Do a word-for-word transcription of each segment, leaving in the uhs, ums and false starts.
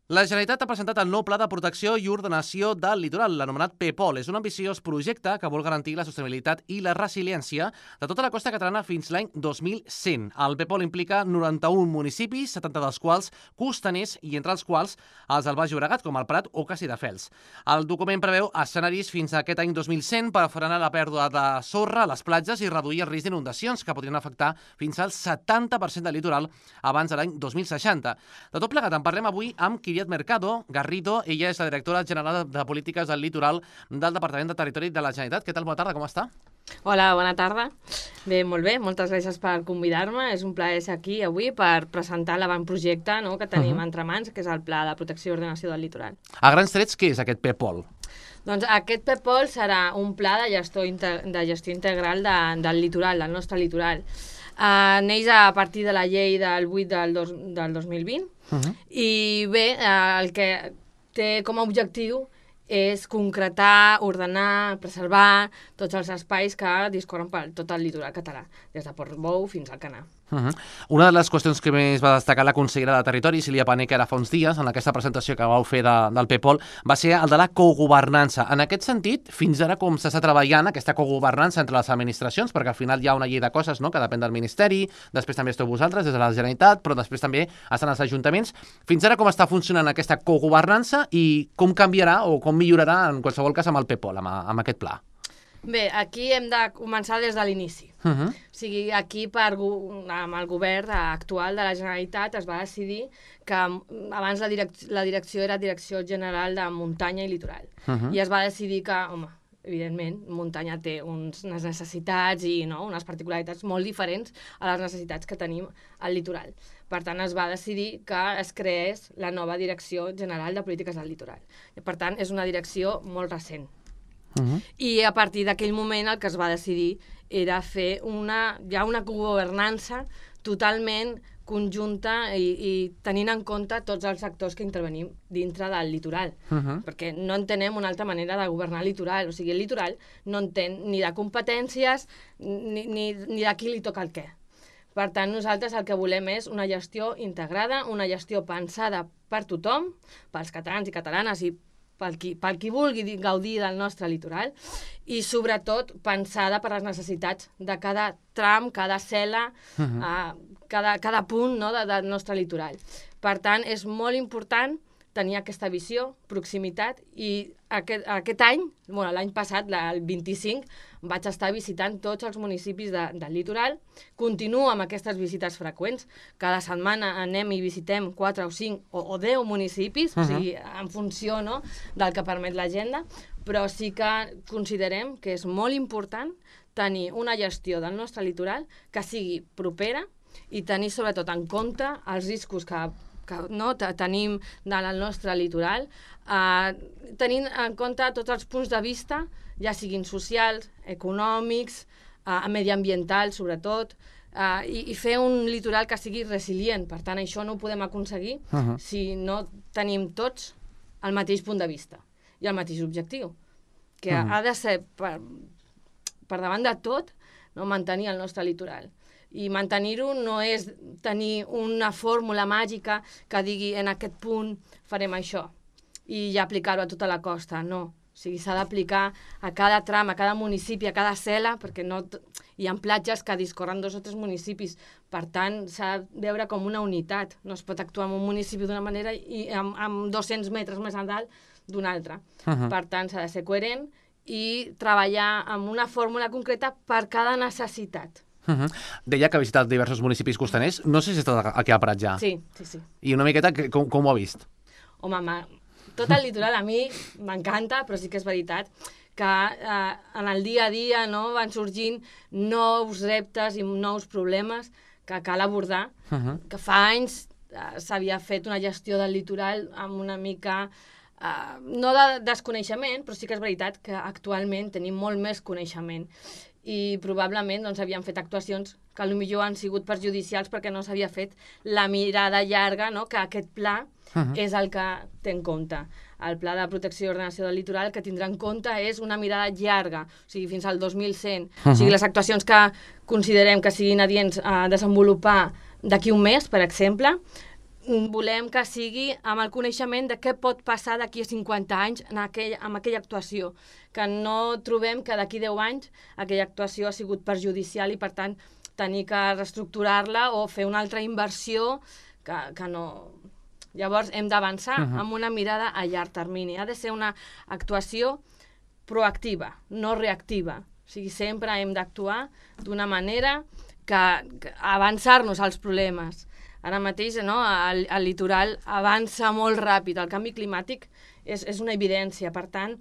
La Generalitat ha presentat el nou Pla de Protecció i Ordenació del Litoral, l'anomenat P P O L. És un ambiciós projecte que vol garantir la sostenibilitat i la resiliència de tota la costa catalana fins l'any dos mil cent. El P P O L implica noranta-un municipis, setanta dels quals costaners i entre els quals els del Baix Llobregat, com el Prat o Castelldefels. El document preveu escenaris fins a aquest any dos mil cent per frenar la pèrdua de sorra a les platges i reduir el risc d'inundacions que podrien afectar fins al setanta per cent del litoral abans de l'any dos mil seixanta. De tot plegat en parlem avui amb Kiriat Mercado Garrido. Ella és la directora general de Polítiques del Litoral del Departament de Territori de la Generalitat. Què tal? Bona tarda, com està? Hola, bona tarda. Bé, molt bé, moltes gràcies per convidar-me. És un plaer ser aquí avui per presentar l'avantprojecte no, que tenim uh -huh. entre mans, que és el Pla de Protecció i Ordenació del Litoral. A grans trets, què és aquest P P O L? Doncs aquest P P O L serà un pla de gestió, de gestió integral de, del litoral, del nostre litoral. Uh, neix a partir de la llei del vuit del, dos, del dos mil vint uh -huh. i bé, uh, el que té com a objectiu és concretar, ordenar, preservar tots els espais que discorren per tot el litoral català, des de Portbou fins al Canà. Uh -huh. Una de les qüestions que més va destacar la consellera de Territori, Sílvia Pané, que ara fa uns dies, en aquesta presentació que vau fer de, del P P O L, va ser el de la cogovernança. En aquest sentit, fins ara com s'està treballant aquesta cogovernança entre les administracions, perquè al final hi ha una llei de coses no?, que depèn del Ministeri, després també esteu vosaltres, des de la Generalitat, però després també estan els ajuntaments. Fins ara com està funcionant aquesta cogovernança i com canviarà o com millorarà en qualsevol cas amb el P P O L, amb, amb aquest pla? Bé, aquí hem de començar des de l'inici. Uh -huh. O sigui, aquí per, amb el govern actual de la Generalitat es va decidir que abans la, direc la direcció era Direcció General de Muntanya i Litoral. Uh -huh. I es va decidir que, home, evidentment, muntanya té uns, unes necessitats i no, unes particularitats molt diferents a les necessitats que tenim al litoral. Per tant, es va decidir que es creés la nova Direcció General de Polítiques del Litoral. I, per tant, és una direcció molt recent. Uh -huh. I a partir d'aquell moment el que es va decidir era fer una, ja una governança totalment conjunta i, i tenint en compte tots els actors que intervenim dintre del litoral. Uh -huh. Perquè no entenem una altra manera de governar el litoral. O sigui, el litoral no entén ni de competències ni, ni, ni de qui li toca el què. Per tant, nosaltres el que volem és una gestió integrada, una gestió pensada per tothom, pels catalans i catalanes i pel qui, pel qui vulgui gaudir del nostre litoral i, sobretot, pensada per les necessitats de cada tram, cada cel·la, uh -huh. uh, cada, cada punt no, de, del nostre litoral. Per tant, és molt important tenir aquesta visió, proximitat, i aquest, aquest any, bueno, l'any passat, el vint-i-cinc, vaig estar visitant tots els municipis de, del litoral. Continuo amb aquestes visites freqüents. Cada setmana anem i visitem quatre o cinc o, o deu municipis, uh -huh. o sigui, en funció no, del que permet l'agenda, però sí que considerem que és molt important tenir una gestió del nostre litoral que sigui propera i tenir sobretot en compte els riscos que que no, tenim del nostre litoral, eh, tenint en compte tots els punts de vista, ja siguin socials, econòmics, eh, mediambientals, sobretot, eh, i, i fer un litoral que sigui resilient. Per tant, això no ho podem aconseguir uh -huh. si no tenim tots el mateix punt de vista i el mateix objectiu, que uh -huh. ha de ser, per, per davant de tot, no, mantenir el nostre litoral. I mantenir-ho no és tenir una fórmula màgica que digui en aquest punt farem això i ja aplicar-ho a tota la costa, no. O sigui, s'ha d'aplicar a cada tram, a cada municipi, a cada cel·la, perquè no hi ha platges que discorren dos o tres municipis. Per tant, s'ha de veure com una unitat. No es pot actuar en un municipi d'una manera i amb, amb dos-cents metres més a dalt d'una altra. Uh -huh. Per tant, s'ha de ser coherent i treballar amb una fórmula concreta per cada necessitat. Uh -huh. Deia que ha visitat diversos municipis costaners. No sé si està aquí al Prat ja. Sí, sí, sí. I una miqueta, com, com ho ha vist? Home, tot el litoral a mi m'encanta, però sí que és veritat que eh, en el dia a dia no, van sorgint nous reptes i nous problemes que cal abordar. Uh -huh. Que fa anys eh, s'havia fet una gestió del litoral amb una mica... Eh, no de desconeixement, però sí que és veritat que actualment tenim molt més coneixement. I probablement doncs, havien fet actuacions que potser han sigut perjudicials perquè no s'havia fet la mirada llarga, no? Que aquest pla uh -huh. és el que té en compte. El Pla de Protecció i Ordenació del Litoral que tindrà en compte és una mirada llarga, o sigui, fins al dos mil cent. Uh -huh. O sigui, les actuacions que considerem que siguin adients a desenvolupar d'aquí un mes, per exemple, volem que sigui amb el coneixement de què pot passar d'aquí a cinquanta anys en aquell, en aquella actuació, que no trobem que d'aquí deu anys aquella actuació ha sigut perjudicial i, per tant, tenir que reestructurar-la o fer una altra inversió que, que no... Llavors, hem d'avançar uh-huh. amb una mirada a llarg termini. Ha de ser una actuació proactiva, no reactiva. O sigui, sempre hem d'actuar d'una manera que, que avançar-nos als problemes. Ara mateix, no, el, el litoral avança molt ràpid, el canvi climàtic és, és una evidència, per tant,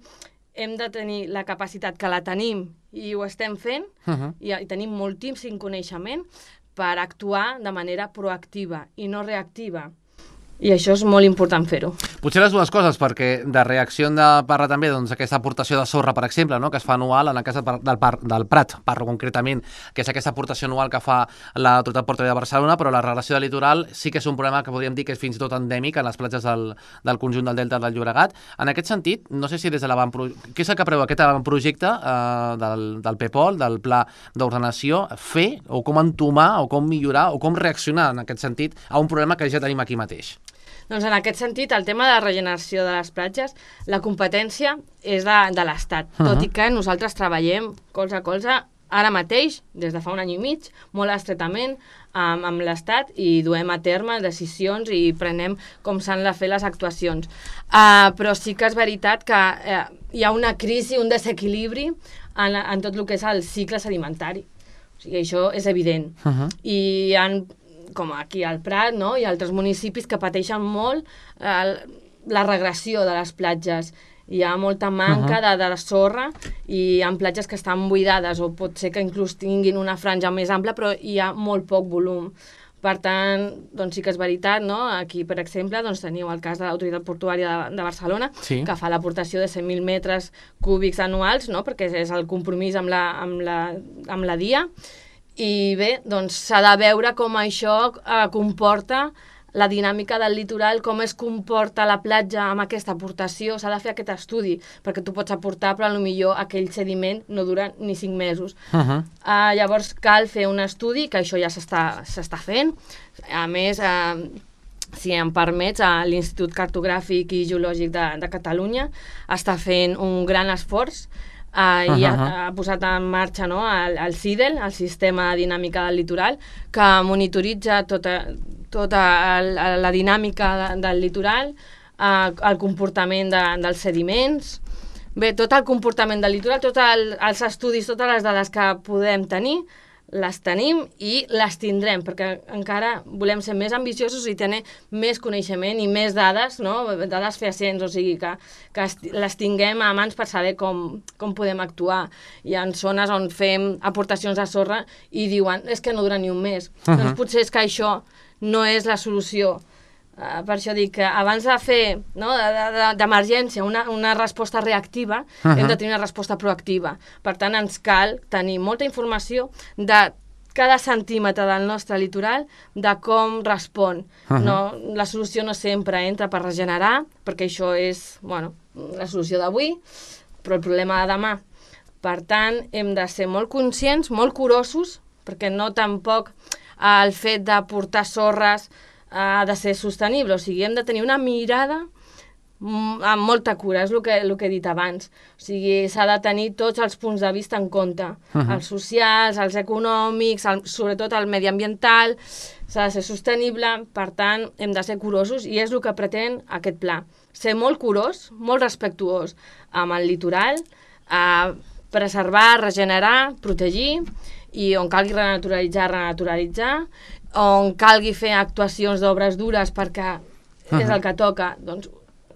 hem de tenir la capacitat, que la tenim i ho estem fent, uh-huh. i, i tenim moltíssim coneixement per actuar de manera proactiva i no reactiva. I això és molt important fer-ho. Potser les dues coses, perquè de reacció hem de parlar també doncs, aquesta aportació de sorra, per exemple, no? Que es fa anual en el cas del, par, del Prat, parlo concretament, que és aquesta aportació anual que fa l'Autoritat Portuària de Barcelona, però la regulació del litoral sí que és un problema que podríem dir que és fins i tot endèmic en les platges del, del conjunt del Delta del Llobregat. En aquest sentit, no sé si des de l'avantprojecte, què és el que preveu aquest avantprojecte eh, del, del PEPOL, del Pla d'Ordenació, fer o com entomar o com millorar o com reaccionar en aquest sentit a un problema que ja tenim aquí mateix? Doncs en aquest sentit, el tema de la regeneració de les platges, la competència és de, de l'Estat, uh-huh. tot i que nosaltres treballem colze a colze ara mateix, des de fa un any i mig, molt estretament amb, amb l'Estat i duem a terme decisions i prenem com s'han de fer les actuacions. Uh, però sí que és veritat que uh, hi ha una crisi, un desequilibri en, en tot el que és el cicle sedimentari. O sigui, això és evident. Uh-huh. I hi ha, com aquí al Prat, no? Hi ha altres municipis que pateixen molt eh, la regressió de les platges. Hi ha molta manca uh-huh. de, de sorra i hi ha platges que estan buidades o pot ser que inclús tinguin una franja més ampla, però hi ha molt poc volum. Per tant, doncs sí que és veritat, no? Aquí, per exemple, doncs teniu el cas de l'Autoritat Portuària de, de Barcelona, sí. que fa l'aportació de cent mil metres cúbics anuals, no? Perquè és el compromís amb la, amb la, amb la D I A. I bé, doncs s'ha de veure com això eh, comporta la dinàmica del litoral, com es comporta la platja amb aquesta aportació. S'ha de fer aquest estudi, perquè tu pots aportar, però potser aquell sediment no dura ni cinc mesos. Uh-huh. Uh, llavors cal fer un estudi, que això ja s'està s'està fent. A més, uh, si em permets, uh, l'Institut Cartogràfic i Geològic de, de Catalunya està fent un gran esforç. Uh, uh-huh. I ha, ha posat en marxa, no, el, el SIDEL, el Sistema de Dinàmica del Litoral, que monitoritza tota, tota el, la dinàmica de, del litoral, uh, el comportament de, dels sediments, bé, tot el comportament del litoral, tots el, els estudis, totes les dades que podem tenir, les tenim i les tindrem, perquè encara volem ser més ambiciosos i tenir més coneixement i més dades, no? Dades fehacients, o sigui, que, que les tinguem a mans per saber com, com podem actuar. Hi ha zones on fem aportacions de sorra i diuen, és que no dura ni un mes. Uh-huh. Doncs potser és que això no és la solució. Uh, per això dic que abans de fer, no, d'emergència una, una resposta reactiva, uh-huh. hem de tenir una resposta proactiva. Per tant, ens cal tenir molta informació de cada centímetre del nostre litoral, de com respon. Uh-huh. No, la solució no sempre entra per regenerar, perquè això és, bueno, la solució d'avui, però el problema de demà. Per tant, hem de ser molt conscients, molt curosos, perquè no tampoc uh, el fet de portar sorres ha de ser sostenible, o sigui, hem de tenir una mirada amb molta cura, és el que, el que he dit abans. O sigui, s'ha de tenir tots els punts de vista en compte, uh-huh. els socials, els econòmics, el, sobretot el mediambiental, s'ha de ser sostenible, per tant, hem de ser curosos i és el que pretén aquest pla. Ser molt curós, molt respectuós amb el litoral, eh, preservar, regenerar, protegir, i on calgui renaturalitzar, renaturalitzar, on calgui fer actuacions d'obres dures perquè uh-huh. és el que toca, doncs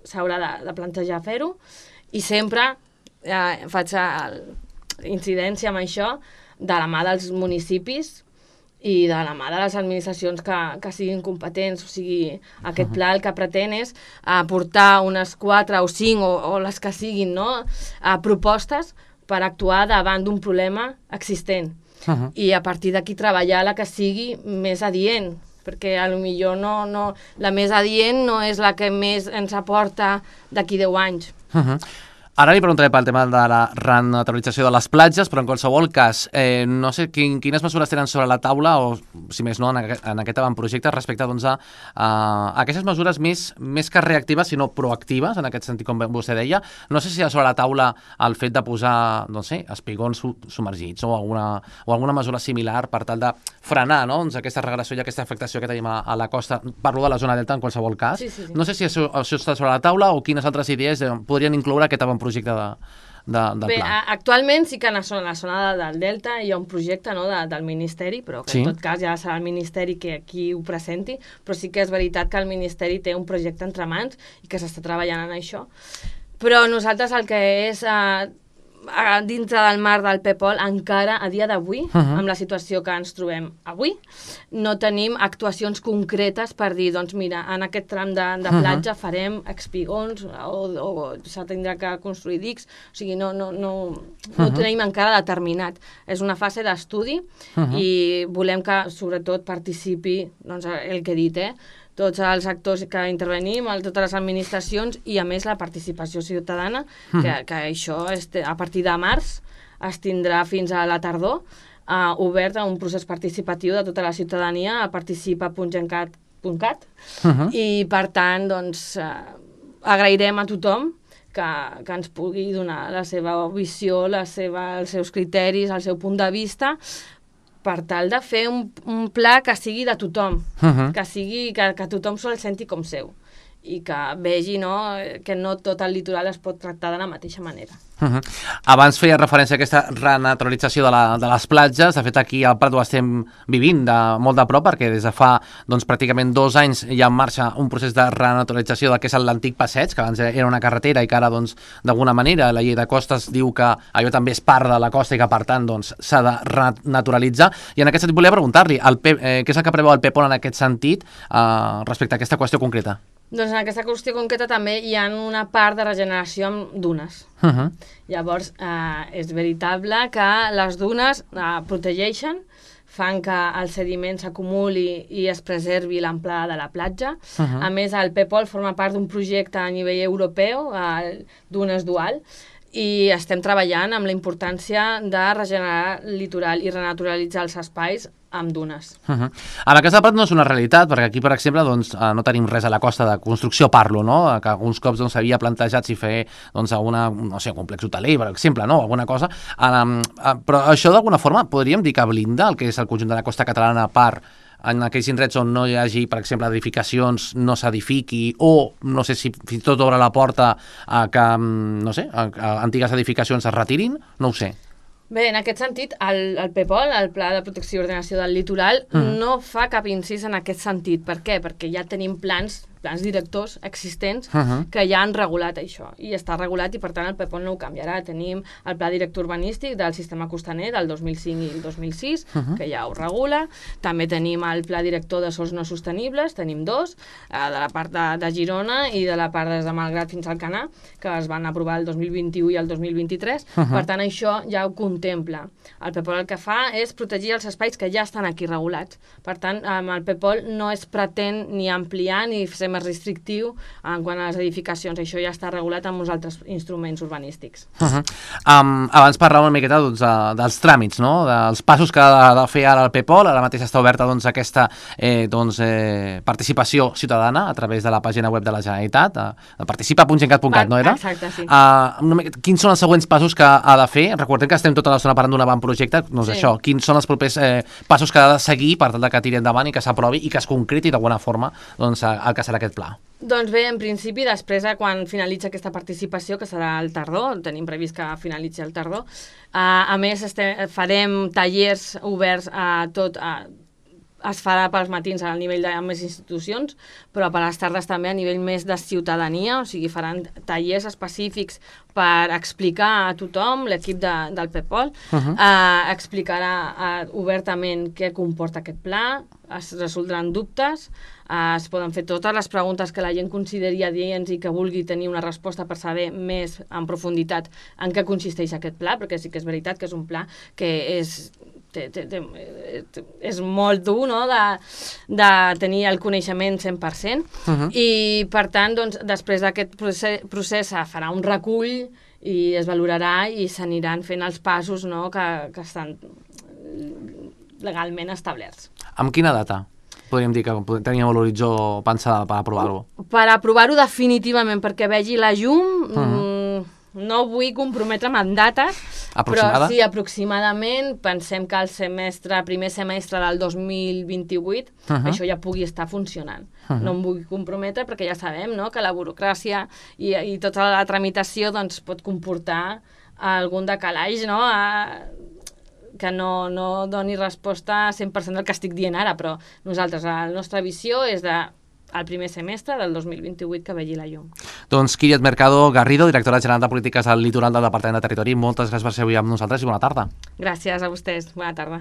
s'haurà de, de plantejar fer-ho, i sempre eh, faig incidència amb això de la mà dels municipis i de la mà de les administracions que, que siguin competents. O sigui, aquest pla el que pretén és aportar unes quatre o cinc o, o les que siguin, no? a propostes per actuar davant d'un problema existent. Uh-huh. I a partir d'aquí treballar la que sigui més adient, perquè a lo millor no, no, la més adient no és la que més ens aporta d'aquí deu anys. Uh-huh. Ara li preguntaré pel tema de la renaturalització de les platges, però en qualsevol cas, eh, no sé quin, quines mesures tenen sobre la taula, o si més no, en aquest, en aquest avantprojecte, respecte doncs, a, a aquestes mesures més, més que reactives, sinó proactives, en aquest sentit, com vostè deia. No sé si hi ha sobre la taula el fet de posar, no sé, espigons submergits o alguna, o alguna mesura similar per tal de frenar, no?, doncs, aquesta regressió i aquesta afectació que tenim a, a la costa. Parlo de la zona delta en qualsevol cas. Sí, sí, sí. No sé si això, això està sobre la taula o quines altres idees eh, podrien incloure aquest avantprojecte projecte de, de, del Bé, pla. actualment sí que a la zona, la zona del Delta hi ha un projecte, no, de, del Ministeri, però que sí, en tot cas ja serà el Ministeri que aquí ho presenti, però sí que és veritat que el Ministeri té un projecte entre mans i que s'està treballant en això. Però nosaltres el que és... Eh, dintre del mar del Pepol, encara a dia d'avui, uh -huh. amb la situació que ens trobem avui, no tenim actuacions concretes per dir, doncs mira, en aquest tram de, de platja uh -huh. farem espigons o, o s'ha tindrà que construir dics, o sigui, no, no, no, no uh -huh. ho tenim encara determinat. És una fase d'estudi uh -huh. i volem que sobretot participi, doncs, el que he dit, eh? tots els actors que intervenim, totes les administracions i, a més, la participació ciutadana, mm. que, que això este, a partir de març es tindrà fins a la tardor uh, obert a un procés participatiu de tota la ciutadania a participa punt gencat punt cat uh-huh. i, per tant, doncs, uh, agrairem a tothom que, que ens pugui donar la seva visió, la seva, els seus criteris, el seu punt de vista, per tal de fer un, un pla que sigui de tothom, uh-huh. que sigui que, que tothom se'l senti com seu i que vegi, no, que no tot el litoral es pot tractar de la mateixa manera. Uh-huh. Abans feia referència a aquesta renaturalització de, la, de les platges. De fet, aquí al Prat ho estem vivint de, molt de prop, perquè des de fa doncs, pràcticament dos anys hi ha en marxa un procés de renaturalització del que és l'antic passeig, que abans era una carretera i que ara, doncs, d'alguna manera, la llei de costes diu que allò també és part de la costa i que, per tant, doncs, s'ha de renaturalitzar. I en aquest sentit volia preguntar-li el P, eh, què és el que preveu el Pepol en aquest sentit eh, respecte a aquesta qüestió concreta? Doncs en aquesta qüestió concreta també hi ha una part de regeneració amb dunes. Uh-huh. Llavors, eh, és veritable que les dunes eh, protegeixen, fan que el sediment s'acumuli i es preservi l'amplada de la platja. Uh-huh. A més, el Pepol forma part d'un projecte a nivell europeu, eh, dunes dual, i estem treballant amb la importància de regenerar el litoral i renaturalitzar els espais amb dunes. Uh-huh. A la Casa del Prat no és una realitat, perquè aquí, per exemple, doncs, no tenim res a la costa de construcció, parlo, no? Que alguns cops doncs, s'havia plantejat si fer doncs, alguna, no sé, un complex hoteler, per exemple, no? Alguna cosa. Um, uh, però això, d'alguna forma, podríem dir que blinda el que és el conjunt de la costa catalana per en aquells indrets on no hi hagi, per exemple, edificacions, no s'edifiqui, o no sé si fins i tot obre la porta a que, no sé, a, a antigues edificacions es retirin, no ho sé. Bé, en aquest sentit, el, el Pepol, el Pla de Protecció i Ordenació del Litoral, mm. no fa cap incís en aquest sentit. Per què? Perquè ja tenim plans plans directors existents uh-huh. que ja han regulat això, i està regulat i per tant el Pepol no ho canviarà. Tenim el Pla Director Urbanístic del Sistema Costaner del dos mil cinc i el dos mil sis, uh-huh. que ja ho regula. També tenim el Pla Director de Sòls No Sostenibles, tenim dos, eh, de la part de, de Girona i de la part des de Malgrat fins al Canà, que es van aprovar el dos mil vint-i-u i el dos mil vint-i-tres. Uh-huh. Per tant, això ja ho contempla. El Pepol el que fa és protegir els espais que ja estan aquí regulats. Per tant, amb el Pepol no es pretén ni ampliar ni ser més restrictiu en quant a les edificacions. Això ja està regulat amb uns altres instruments urbanístics. Uh-huh. um, abans parlàvem una miqueta doncs, de, dels tràmits, no? Dels passos que ha de fer ara el Pepol. Ara mateix està oberta doncs, aquesta eh, doncs, eh, participació ciutadana a través de la pàgina web de la Generalitat, a participa punt gencat punt cat, no era? Exacte, sí. Uh, quins són els següents passos que ha de fer? Recordem que estem tota l'estona parlant d'un avantprojecte, doncs sí. Això, quins són els propers eh, passos que ha de seguir per tal que tiri endavant i que s'aprovi i que es concreti d'alguna forma doncs, el que serà aquest pla? Doncs bé, en principi, després de quan finalitza aquesta participació, que serà al tardor, tenim previst que finalitzi al tardor, uh, a més estem, farem tallers oberts a tot, a, es farà pels matins al nivell de més institucions, però per les tardes també a nivell més de ciutadania, o sigui, faran tallers específics per explicar a tothom, l'equip de, del Pepol, uh-huh. eh, explicarà eh, obertament què comporta aquest pla, es resoldran dubtes, eh, es poden fer totes les preguntes que la gent consideri adients i que vulgui tenir una resposta per saber més en profunditat en què consisteix aquest pla, perquè sí que és veritat que és un pla que és... Té, té, té, és molt dur, no?, de, de tenir el coneixement cent per cent uh-huh. i per tant doncs, després d'aquest procés, procés farà un recull i es valorarà i s'aniran fent els passos, no?, que, que estan legalment establerts. Amb quina data podríem dir que teníem l'horitzó pensada per aprovar-ho? Per aprovar-ho definitivament, perquè vegi la llum, uh -huh. no vull comprometre'm amb dates, aproximada? Però sí, aproximadament, pensem que el semestre, primer semestre del dos mil vint-i-vuit, uh -huh. això ja pugui estar funcionant. Uh -huh. No em vull comprometre perquè ja sabem, no?, que la burocràcia i, i tota la tramitació doncs, pot comportar algun decalaix, no?, a, que no, no doni resposta a cent per cent del que estic dient ara, però nosaltres, la nostra visió és de el primer semestre del dos mil vint-i-vuit que vegi la llum. Doncs Kíriat Mercado Garrido, directora general de Polítiques al Litoral del Departament de Territori, moltes gràcies per ser avui amb nosaltres i bona tarda. Gràcies a vostès, bona tarda.